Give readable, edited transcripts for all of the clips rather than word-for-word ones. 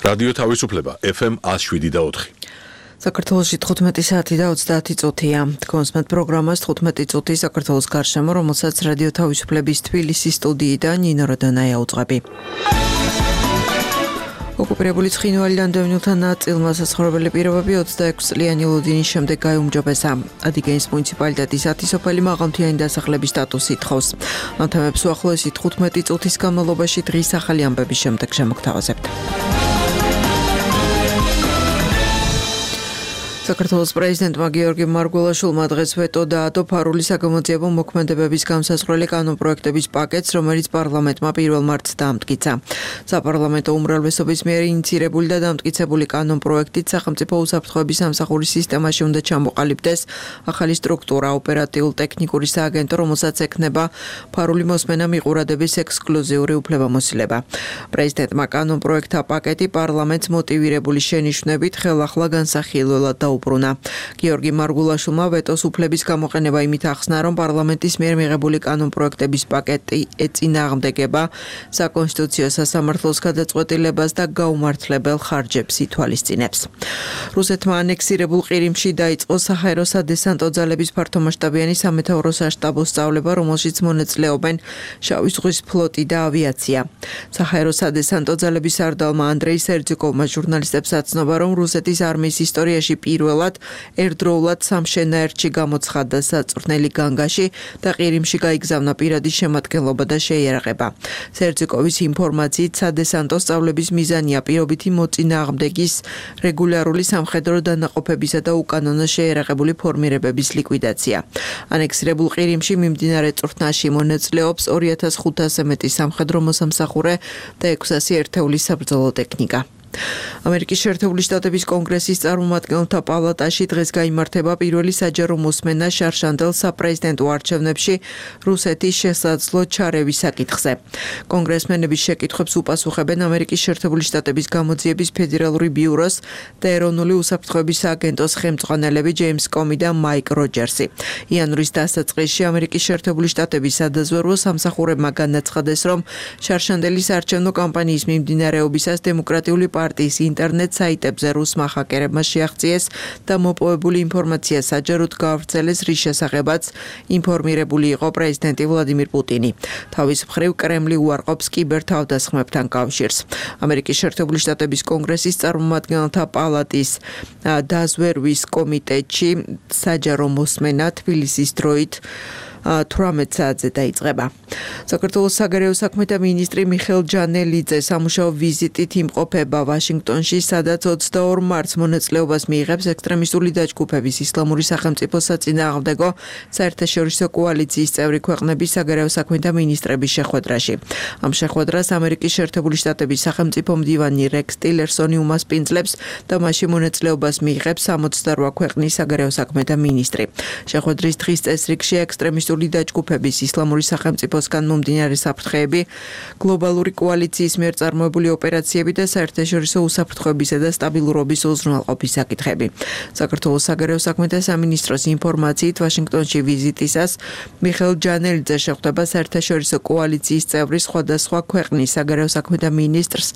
რადიო თავისუფლება FM 107.4. საქართველოში 15 საათი და 30 წუთია. კონსმეთ პროგრამას 15 წუთი საქართველოს გარშემო, რომელსაც რადიო თავისუფლების თბილისის სტუდიიდან ნინო როდონაია უძღვები. ოკუპირებული ცხინვალიდან დევნილთა ნაწილმა საცხოვრებელი პირობები 26 წლიანი ლოდინის შემდეგ გაიუმჯობესა. ადიგენის მუნიციპალიტეტის 10 სოფელი მაღალმთიანი დასახლების სტატუსს ითხოვს. ამ თემებს უახლოესი 15 წუთის განმავლობაში დღის ახალი ამბების შემდეგ შემოგთავაზებთ. საქართველოს პრეზიდენტმა გიორგი მარგველაშვილმა დღეს ვეტო დაადო ფარული საგამოძიებო მოქმედებების განსაზღვრელი კანონპროექტების პაკეტს, რომელიც პარლამენტმა 1 მარტს დაამტკიცა. საპარლამენტო უმრავლესობის მიერ ინიცირებული და დამტკიცებული კანონპროექტით სახელმწიფო უსაფრთხოების სამსახურის სისტემაში უნდა ჩამოყალიბდეს ახალი სტრუქტურა, ოპერატიულ-ტექნიკური სააგენტო, რომელსაც ექნება ფარული მოსმენა მიყურადების ექსკლუზიური უფლებამოსილება. პრეზიდენტმა კანონპროექტთა პაკეტი პარლამენტს მოტივირებული შენიშვნებით ხელახლა განსახილველად დაუბრუნა. გიორგი მარგველაშვილმა ვეტოს უფლების გამოყენება იმით ახსნა, რომ პარლამენტის მიერ მიღებული კანონპროექტების პაკეტი ეწინააღმდეგება საკონსტიტუციო სასამართლოს გადაწყვეტილებას და გაუმართლებელ ხარჯებს ითვალისწინებს. რუსეთმა ანექსირებულ ყირიმში დაიწყო საჰაერო სადესანტო ძალების ფართომასშტაბიანი სამეთაურო საშტაბო სწავლება, რომელშიც მონაწილეობენ შავი ზღვის ფლოტი და ავიაცია. საჰაერო სადესანტო ძალების სარდალმა ანდრეი სერძიკოვმა ჟურნალისტებს აცნობა, რომ რუსეთის არმიის ისტორიაში პირველად ერთდროულად სამშენაერთში გამოცხადდა საწვრთნელი განგაში და ყირიმში გაიგზავნა პირადი შემადგენლობა და შეიარაღება. სერძიკოვის ინფორმაციით, სადესანტო სწავლების მიზანია პირობითი მოწინააღმდეგის რეგულარული სამხედრო დანაყოფებისა და უკანონო შეიარაღებული ფორმირებების ლიკვიდაცია. ანექსირებულ ყირიმში მიმდინარე წვრთნაში მონაწილეობს 2500-ზე მეტი სამხედრო მოსამსახურე და 600 ერთეულის საბრძოლო ტექნიკა. ამერიკის შეერთებული შტატების კონგრესის წარმომადგენელთა პალატაში დღეს გაიმართება პირველი საჯარო მოსმენა შარშანდელ საპრეზიდენტო არჩევნებში რუსეთის შესაძლო ჩარევის საკითხზე. კონგრესმენების შეკითხვებს უპასუხებენ ამერიკის შეერთებული შტატების გამოძიების ფედერალური ბიუროს და ეროვნული უსაფრთხოების სააგენტოს ხელმძღვანელები ჯეიმს კომი და მაიკ როჯერსი. იანვრის დასაწყისში ამერიკის შეერთებული შტატების სადაზვერვო სამსახურებმა განაცხადეს, რომ შარშანდელის არჩევნო კამპანიის მიმდინარეობისას დემოკრატიული პარტიის ინტერნეტ საიტებზე რუსმა ჰაკერებმა შეაღწიეს და მოპოვებული ინფორმაცია საჯაროდ გაავრცელეს, რის შესახებაც ინფორმირებული იყო პრეზიდენტი ვლადიმირ პუტინი. თავის მხრივ კრემლი უარყოფს კიბერთავდასხმებთან კავშირს. ამერიკის შეერთებული შტატების კონგრესის წარმომადგენელთა პალატის დაზვერვის კომიტეტში საჯარო მოსმენა თბილისის დროით 18 საათზე დაიწყება. საქართველოს საგარეო საქმეთა მინისტრი მიხეილ ჯანელიძე სამუშაო ვიზიტით იმყოფება ვაშინგტონში, სადაც 22 მარტს მონაწილეობას მიიღებს ექსტრემისტული დაჯგუფების ისლამური სახელმწიფოს საწინააღმდეგო საერთაშორისო კოალიციის წევრი ქვეყნების საგარეო საქმეთა მინისტრების შეხვედრაში. ამ შეხვედრას ამერიკის შეერთებული შტატების სახელმწიფო მდივანი რექს ტილერსონი უმასპინძლებს და მასში მონაწილეობას მიიღებს 68 ქვეყნის საგარეო საქმეთა მინისტრი. შეხვედრის დღის წესრიგში ექსტრემისტული დაჯგუფების ისლამური სახელმწიფოსგან მომდინარე საფრთხეები, გლობალური კოალიციის მიერ წარმოებული ოპერაციები და საერთაშორისო უსაფრთხოებისა და სტაბილურობის უზრუნველყოფის საკითხები. საქართველოს საგარეო საქმეთა სამინისტროს ინფორმაციით, ვაშინგტონში ვიზიტისას მიხეილ ჯანელიძე შეხვდება საერთაშორისო კოალიციის წევრის სხვადასხვა ქვეყნის საგარეო საქმეთა მინისტრს,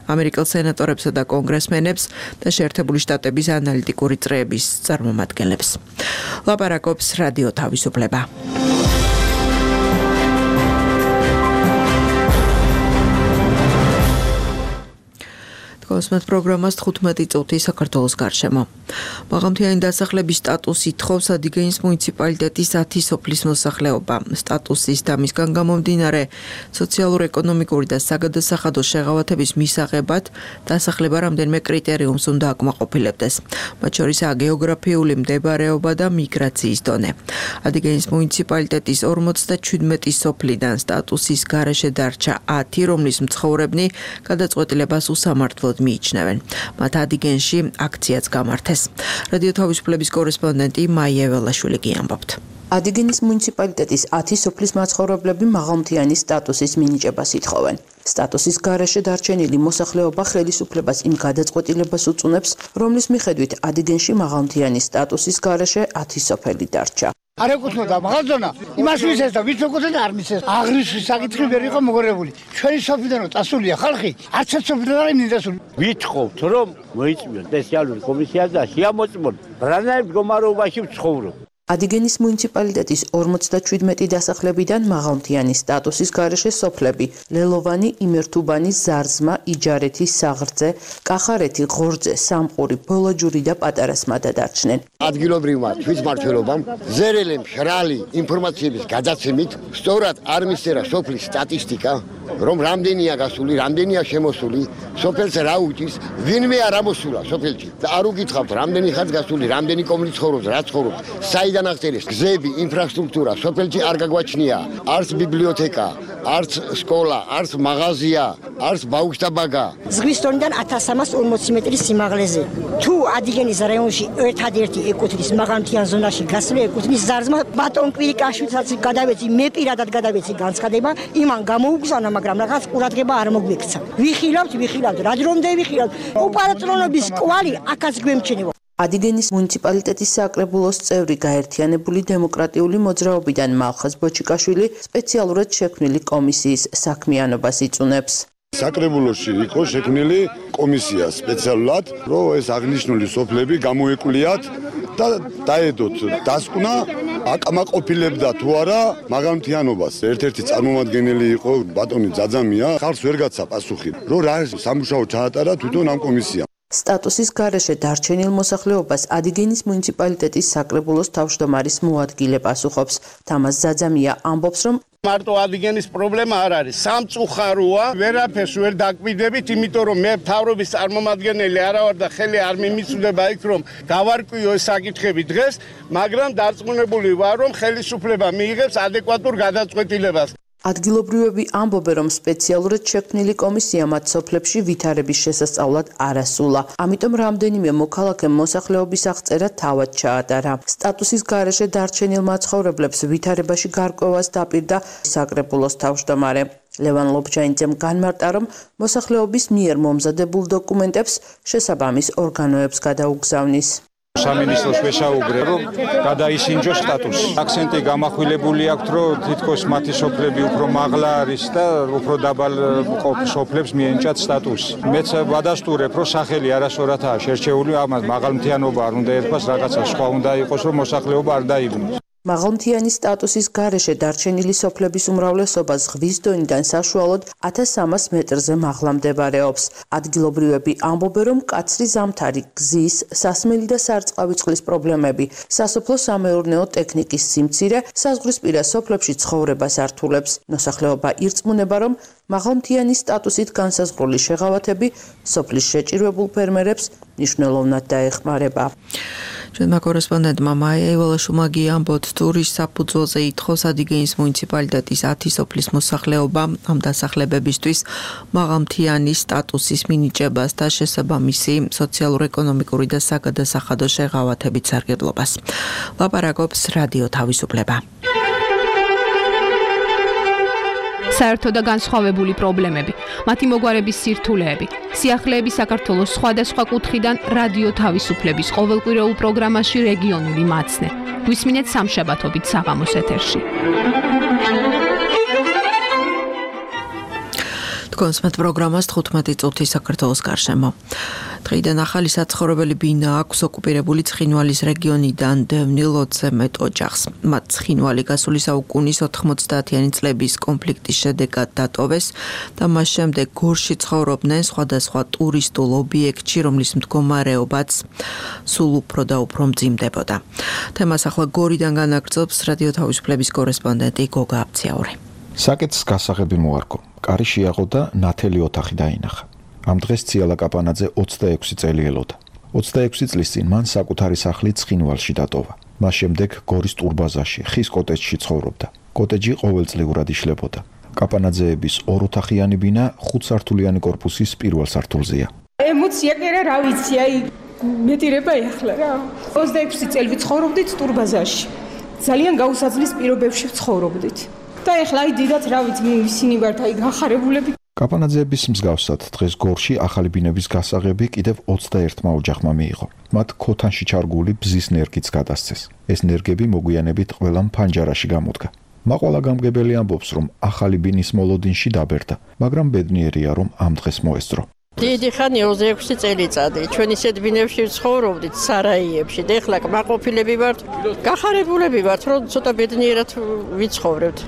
ამერიკელ სენატორებსა და კონგრესმენებს და შეერთებული შტატების ანალიტიკური წრეების წარმომადგენლებს. ლაპარაკობს რადიო თავისუფლება. კონსმეთ პროგრამას 15 წუთი საქართველოს გარშემო. მაღალმთიანი დასახლების სტატუსი ითხოვს ადიგენის მუნიციპალიტეტის 10 სოფლის მოსახლეობა. სტატუსის და მისგან გამომდინარე სოციალურ-ეკონომიკური და საგადასახადო შეღავათების მისაღებად დასახლება რამდენიმე კრიტერიუმს უნდა აკმაყოფილებდეს. მათ შორისაა გეოგრაფიული მდებარეობა და მიგრაციის დონე. ადიგენის მუნიციპალიტეტის 57 სოფლიდან სტატუსის გარეშე დარჩა 10, რომლის მცხოვრებნი გადაწყვეტილებას უსამართლოდ მიიჩნევენ. მათ ადიგენში აქციაც გამართეს. რადიო თავისუფლების კორესპონდენტი მაია ველაშვილი გიამბობთ. ადიგენის მუნიციპალიტეტის 10 სოფლის მაცხოვრებლები მაღალმთიანი სტატუსის მინიჭებას ითხოვენ. სტატუსის გარეშე დარჩენილი მოსახლეობა ხელისუფლებას იმ გადაწყვეტილებას უწუნებს, რომლის მიხედვით ადიგენში მაღალმთიანი სტატუსის გარეშე 10 სოფელი დარჩა. არ ეკუთვნოდა მაღალზონა იმას ვისეს და ვიც ეკუთვნოდა არ მისეს აღრიცხვის საკითხი ვერ იყო მოგორებული ჩვენი სოფლიდან წასულია ხალხი არც ერთ სოფლიდან არ მინდასული ვითხოვთ რომ მოიწვიოს სპეციალური კომისია და შეამოწმონ რანაირ მდგომარეობაში ვცხოვრობ. ადიგენის მუნიციპალიტეტის 57 დასახლებიდან მაღალმთიანი სტატუსის გარეშე სოფლები ლელოვანი, იმერთუბანი, ზარზმა, იჯარეთი, საღრძე, კახარეთი, ღორძე, სამყური, ბოლაჯური და პატარა სმადა დარჩნენ. ადგილობრივმა თვითმმართველობამ ზერელი მშრალი ინფორმაციების გადაცემით სწორად არ მისწერა სოფლის სტატისტიკა, რომ რამდენია გასული, რამდენია შემოსული, სოფელს რა უჭირს, ვინმე არ ამოსულა სოფელში. და არ უკითხავთ, რამდენი ხანს გასული, რამდენი კომლი ცხოვრობს, რა ცხოვრობს, საიდან აღწერეს გზები, ინფრასტრუქტურა, სოფელში არ გაგვაჩნია, არც ბიბლიოთეკა, არც სკოლა, არც მაღაზია, არც ბაუქშტაბაგა. ზღვის დონიდან 1340 მეტრის სიმაღლეზე. თუ ადიგენის რაიონში ერთადერთი ეკუთვნის მაღალმთიან ზონაში გასული ეკუთვნის ზარზმა ბატონ კვირიკაშვილსაც გადავეცი, მე პირადად გადავეცი განცხადება, იმან გამოუგზავნა, მაგრამ რაღაც ყურადღება არ მოგვექცა. ვიხილავთ, რა დრომდე ვიხილავთ. უპატრონობის კვალი აქაც გვემჩნევა. ადიგენის მუნიციპალიტეტის საკრებულოს წევრი გაერთიანებული დემოკრატიული მოძრაობიდან მალხაზ ბოჩიკაშვილი სპეციალურად შექმნილი კომისიის საქმიანობას იწუნებს. საკრებულოში იყო შექმნილი კომისია სპეციალურად, რომ ეს აღნიშნული სოფლები გამოეკვლიათ და დაედოთ დასკვნა აკმაყოფილებდა თუ არა მაღალმთიანობას. ერთ-ერთი წარმომადგენელი იყო ბატონი ძაძამია, ხალხს ვერ გაცა პასუხი, რომ რა სამუშაო ჩაატარა თვითონ ამ კომისიამ. სტატუსის გარეშე დარჩენილ მოსახლეობას ადიგენის მუნიციპალიტეტის საკრებულოს თავმჯდომარის მოადგილე პასუხობს. თამაზ ძაძამია ამბობს, რომ მარტო ადიგენის პრობლემა არ არის. სამწუხაროა, ვერაფერს ვერ დაკვირდებით, იმიტომ რომ მე მთავრობის წარმომადგენელი არა ვარ და ხელი არ მიმიწვდება იქ რომ დავარკვიო ეს საკითხები დღეს, მაგრამ დარწმუნებული ვარ რომ ხელისუფლება მიიღებს ადეკვატურ გადაწყვეტილებას. ადგილობრივები ამბობენ, რომ სპეციალურად შექმნილი კომისია მათ სოფლებში ვითარების შესასწავლად არ ასულა. ამიტომ რამდენიმე მოქალაქემ მოსახლეობის აღწერა თავად ჩაატარა. სტატუსის გარეშე დარჩენილ მაცხოვრებლებს ვითარებაში გარკვევას დაპირდა საკრებულოს თავმჯდომარე. ლევან ლობჯანიძემ განმარტა, რომ მოსახლეობის მიერ მომზადებულ დოკუმენტებს შესაბამის ორგანოებს გადაუგზავნის. სამინისტროს ვესაუბრე, რომ გადაისინჯოს სტატუსი. აქცენტი გამახვილებული აქვს, რომ თითქოს მათი სოფლები უფრო მაღლა არის და უფრო დაბალ სოფლებს მიენიჭათ სტატუსი. მეც ვადასტურებ, რომ სახელი არასორათაა შერჩეული, ამას მაღალმთიანობა არ უნდა ერქვას, რაღაცა სხვა უნდა იყოს, რომ მოსახლეობა არ დაიბნოს. მაღალმთიანი სტატუსის გარეშე დარჩენილი სოფლების უმრავლესობა ზღვის დონიდან საშუალოდ 1300 მეტრზე მაღლა მდებარეობს. ადგილობრივები ამბობენ, რომ მკაცრი ზამთარი, გზის, სასმელი და სარწყავი წყლის პრობლემები, სასოფლო-სამეურნეო ტექნიკის სიმცირე საზღვრისპირა სოფლებში ცხოვრებას ართულებს. მოსახლეობა ირწმუნება, რომ მაღალმთიანი სტატუსით განსაზღვრული შეღავათები სოფლის შეჭირვებულ ფერმერებს მნიშვნელოვნად დაეხმარება. ჩვენმა კორესპონდენტმა მაია ივალაშვილმა გიამბოთ, ტურის საფუძველზე ითხოვს ადიგენის მუნიციპალიტეტის 10 სოფლის მოსახლეობა ამ დასახლებებისთვის მაღალმთიანი სტატუსის მინიჭებას და შესაბამისი სოციალურ-ეკონომიკური და საგადასახადო შეღავათებით სარგებლობას. ლაპარაკობს რადიო თავისუფლება. საერთო და განსხვავებული პრობლემები, მათი მოგვარების სირთულეები, სიახლეები საქართველოს სხვადასხვა კუთხიდან რადიო თავისუფლების ყოველკვირეულ პროგრამაში რეგიონული მაცნე. გვისმინეთ სამშაბათობით საღამოს ეთერში. კონსმეთ პროგრამას 15 წუთი საქართველოს გარშემო. დღიდან ახალი საცხოვრებელი ბინა აქვს ოკუპირებული ცხინვალის რეგიონიდან დევნილ 20 მეტ ოჯახს. მათ ცხინვალი გასული საუკუნის 90-იანი წლების კონფლიქტის შედეგად დატოვეს და მას შემდეგ გორში ცხოვრობდნენ სხვადასხვა ტურისტულ ობიექტში, რომლის მდგომარეობაც სულ უფრო და უფრო მძიმდებოდა. თემას ახლა გორიდან განაგრძობს რადიო თავისუფლების კორესპონდენტი გოგა აბციაური. საკეთს გასაღები მოარგო. კარი შეაღო და ნათელი ოთახი დაინახა. ამ დღეს ციალა კაპანაძე 26 წელი ელოდა. 26 წლის წინ მან საკუთარი სახლი ცხინვალში დატოვა. მას შემდეგ გორის ტურბაზაში, ხის კოტეჯში ცხოვრობდა. კოტეჯი ყოველწლიურად იშლებოდა. კაპანაძეების ოროთახიანი ბინა 5 სართულიანი კორპუსის პირველ სართულზეა. ემოცია კი რა ვიცი, აი მეტირება ეხლა რა. 26 წელი ვიცხოვრობდით ტურბაზაში. ძალიან გაუსაძლის პირობებში ცხოვრობდით. და ეხლა აი დიდად რა ვიცი, ისინი ვართ აი გახარებულები. კაპანაძეების მსგავსად დღეს გორში ახალი ბინების გასაღები კიდევ 21-მა ოჯახმა მიიღო. მათ ქოთანში ჩარგული ბზის ნერგიც გადასცეს. ეს ნერგები მოგვიანებით ყველამ ფანჯარაში გამოდგა. მაყვალა გამგებელი ამბობს, რომ ახალი ბინის მოლოდინში დაბერდა, მაგრამ ბედნიერია, რომ ამ დღეს მოესწრო. დიდი ხანი 26 წელიწადი ჩვენ ისეთ ბინებში ვცხოვრობდით სარაიებში და ეხლა კმაყოფილები ვართ, გახარებულები ვართ, რომ ცოტა ბედნიერად ვიცხოვრებთ.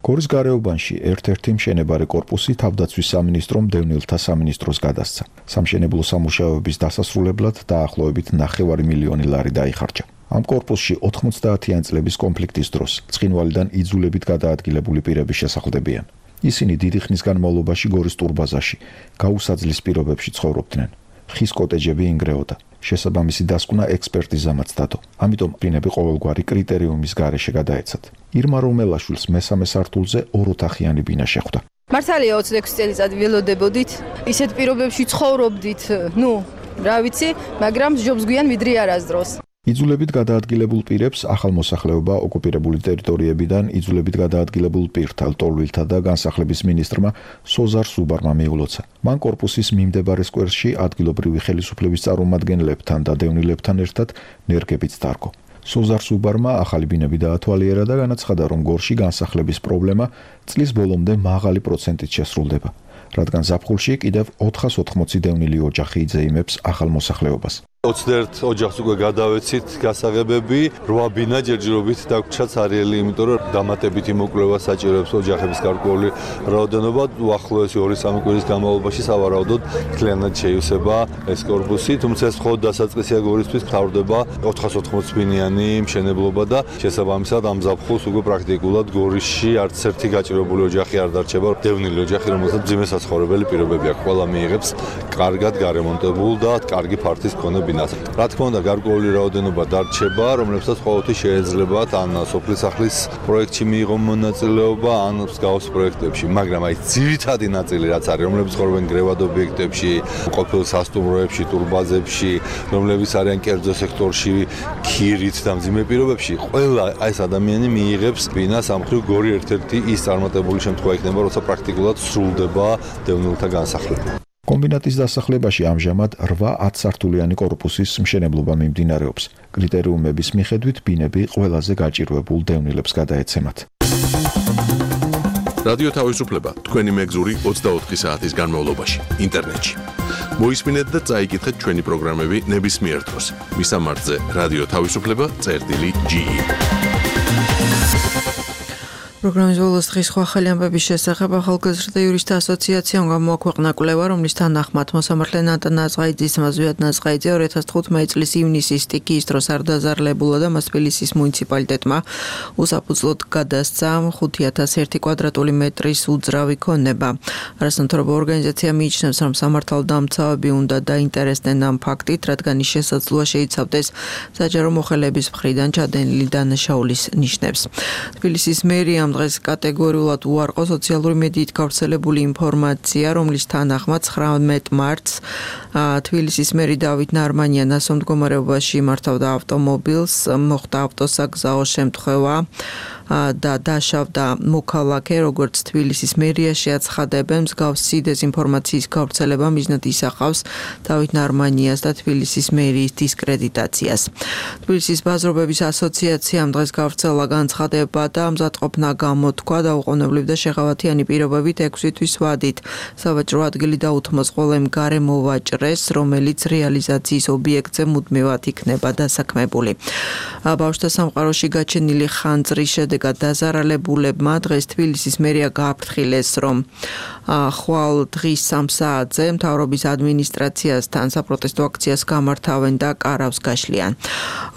გორის გარეუბანში ერთ-ერთი მშენებარე კორპუსი თავდაცვის სამინისტრომ დევნილთა სამინისტროს გადასცა. სამშენებლო სამუშაოების დასასრულებლად დაახლოებით 9 მილიონი ლარი დაიხარჯა. ამ კორპუსში 90-იან წლების კონფლიქტის დროს ცხინვალიდან იძულებით გადაადგილებული პირები შესახლდებიან. ისინი დიდი ხნის განმავლობაში გორის ტურბაზაში გაუსაძლის პირობებში ცხოვრობდნენ. ხის კოტეჯები ინგრეოდა. შესაბამისი დასკვნა ექსპერტიზამაც დადო. ამიტომ პირები ყოველგვარი კრიტერიუმის გარეშე გადაეცათ. ირმა რომელაშვილს მესამე სართულზე ოროთახიანი ბინა შეხვდა. მართალია 26 წელიწად ველოდებოდით, ისეთ პირობებში ცხოვრობდით, რა ვიცი, მაგრამ ჯობს გვიან ვიდრე არასდროს. იძულებით გადაადგილებულ პირებს ახალმოსახლეობა ოკუპირებული ტერიტორიებიდან იძულებით გადაადგილებულ პირთა, ლტოლვილთა და განსახლების მინისტრმა სოზარ სუბარმა მიულოცა. მან კორპუსის მიმდებარე სკვერში ადგილობრივი ხელისუფლების წარმომადგენლებთან და დევნილებთან ერთად ნერგებიც დარგო. სოზარ სუბარმა ახალი ბინები დაათვალიერა და განაცხადა, რომ გორში განსახლების პრობლემა წლის ბოლომდე მაღალი პროცენტით შესრულდება, რადგან ზაფხულში კიდევ 480 დევნილი ოჯახი იძეიმებს ახალმოსახლეობას. 21 ოჯახს უკვე გადავეცით გასაღებები, 8 ბინა ჯერჯერობით დაგვრჩა ცარიელი, იმიტომ რომ დამატებითი მოკვლევა საჭიროებს ოჯახების გარკვეული რაოდენობა. უახლოესი 2-3 კვირის განმავლობაში სავარაუდოდ მთლიანად შეივსება ეს კორპუსი, თუმცა ეს მხოლოდ დასაწყისია გორისთვის, მთავრდება 480 ბინიანი მშენებლობა და შესაბამისად ამ ზაფხულს უკვე პრაქტიკულად გორისში არც ერთი გაჭირვებული ოჯახი არ დარჩება. დევნილი ოჯახი, რომელსაც მძიმე საცხოვრებელი პირობები აქვს, ყველა მიიღებს კარგად გარემონტებულ და კარგი ფართის მქონე ბინას. რა თქმა უნდა, გარკვეული რაოდენობა დარჩება, რომლებსაც ყოველთვის შეეძლებათ ან სოფლის სახლის პროექტში მიიღონ მონაწილეობა, ან მსგავს პროექტებში, მაგრამ აი ძირითადი ნაწილი რაც არის, რომლებიც ცხოვრობენ გრევად ობიექტებში, ყოფილ სასტუმროებში, ტურბაზებში, რომლებიც არიან კერძო სექტორში, ქირით და მძიმე პირობებში, ყველა ეს ადამიანი მიიღებს ბინას. ამ მხრივ გორი ერთ-ერთი ის წარმატებული შემთხვევა იქნება, როცა პრაქტიკულად სრულდება დევნილთა განსახლება. კომბინატის დასახლებაში ამჟამად 8-10 სართულიანი კორპუსის მშენებლობა მიმდინარეობს. კრიტერიუმების მიხედვით ბინები ყველაზე გაჭირვებულ დევნილებს გადაეცემათ. რადიო თავისუფლება თქვენი მეგზური 24 საათის განმავლობაში ინტერნეტში. მოისმინეთ და წაიკითხეთ ჩვენი პროგრამები ნებისმიერ დროს. მისამართზე რადიო თავისუფლება.ge პროგრამის ბოლოს დღის სხვა ახალი ამბების შესახებ ახალგაზრდა იურისტთა ასოციაციამ გამოაქვეყნა კვლევა, რომლის თანახმად მოსამართლე ნატა ნაზღაიძის ზვიად ნაზღაიძე 2015 წლის ივნისის სტიქიის დროს არ დაზარლებულა და მას თბილისის მუნიციპალიტეტმა უსაფუძვლოდ გადასცა 5001 კვადრატული მეტრის უძრავი ქონება. არასამთავრობო ორგანიზაცია მიიჩნევს, რომ სამართალდამცავები უნდა დაინტერესდნენ ამ ფაქტით, რადგან ის შესაძლოა შეიცავდეს საჯარო მოხელეების მხრიდან ჩადენილი დანაშაულის ნიშნებს. თბილისის მერია დღეს კატეგორიულად უარყო სოციალური მედიით გავრცელებული ინფორმაცია, რომლის თანახმად 19 მარტს თბილისის მერი დავით ნარმანია ნასო მდგომარეობაში მართავდა ავტომობილს, მოხდა ავტოსაგზაო შემთხვევა და დაშავდა მოქალაქე, როგორც თბილისის მერიაში აცხადებენ, მსგავსი დეზინფორმაციის გავრცელება მიზნად ისახავს დავით ნარმანიას და თბილისის მერიის დისკრედიტაციას. თბილისის ბაზრობების ასოციაციამ დღეს გავრცელა განცხადება და მზადყოფნა გამოთქვა დაუყოვნებლივ და შეღავათიანი პირობებით 6 თვის ვადით. სავაჭრო ადგილი დაუთმოს ყველემ გარემოვაჭრეს, რომელიც რეალიზაციის ობიექტზე მუდმივად იქნება დასაქმებული. ბავშვთა სამყაროში გაჩენილი ხანძრის შედეგად დაზარალებულებმა დღეს თბილისის მერია გააფრთხილეს, რომ ხვალ დღის 3 საათზე მთავრობის ადმინისტრაციასთან საპროტესტო აქციას გამართავენ და კარავს გაშლიან.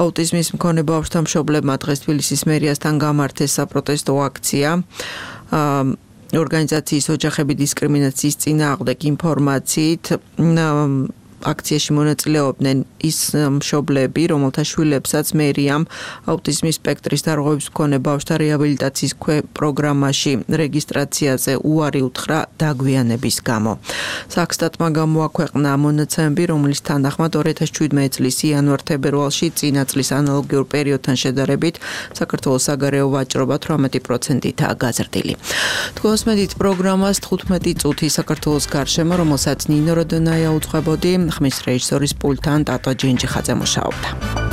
აუტიზმის მქონე ბავშვთა მშობლებმა დღეს თბილისის მერიასთან გამართეს საპროტესტო აქცია. ორგანიზაციის ოჯახები დისკრიმინაციის წინააღმდეგ ინფორმაციით აქციაში მონაწილეობდნენ ის მშობლები, რომელთა შვილებსაც მერიამ აუტიზმის სპექტრის დარღვევის მქონე ბავშვთა რეაბილიტაციის პროგრამაში რეგისტრაციაზე უარი უთხრა დაგვიანების გამო. საქსტატმა გამოაქვეყნა მონაცემები, რომლის თანახმად 2017 წლის იანვარ-თებერვალში წინა წლის ანალოგიურ პერიოდთან შედარებით საქართველოს საგარეო ვაჭრობა 18%-ითაა გაზრდილი. თქვენს მედით პროგრამას 15 წუთი საქართველოს გარშემო, რომელსაც ნინო როდონაია უძღვებოდი, ხმის რეჟისორის პულტთან ტატო ჯენჯიხაძე მუშაობდა.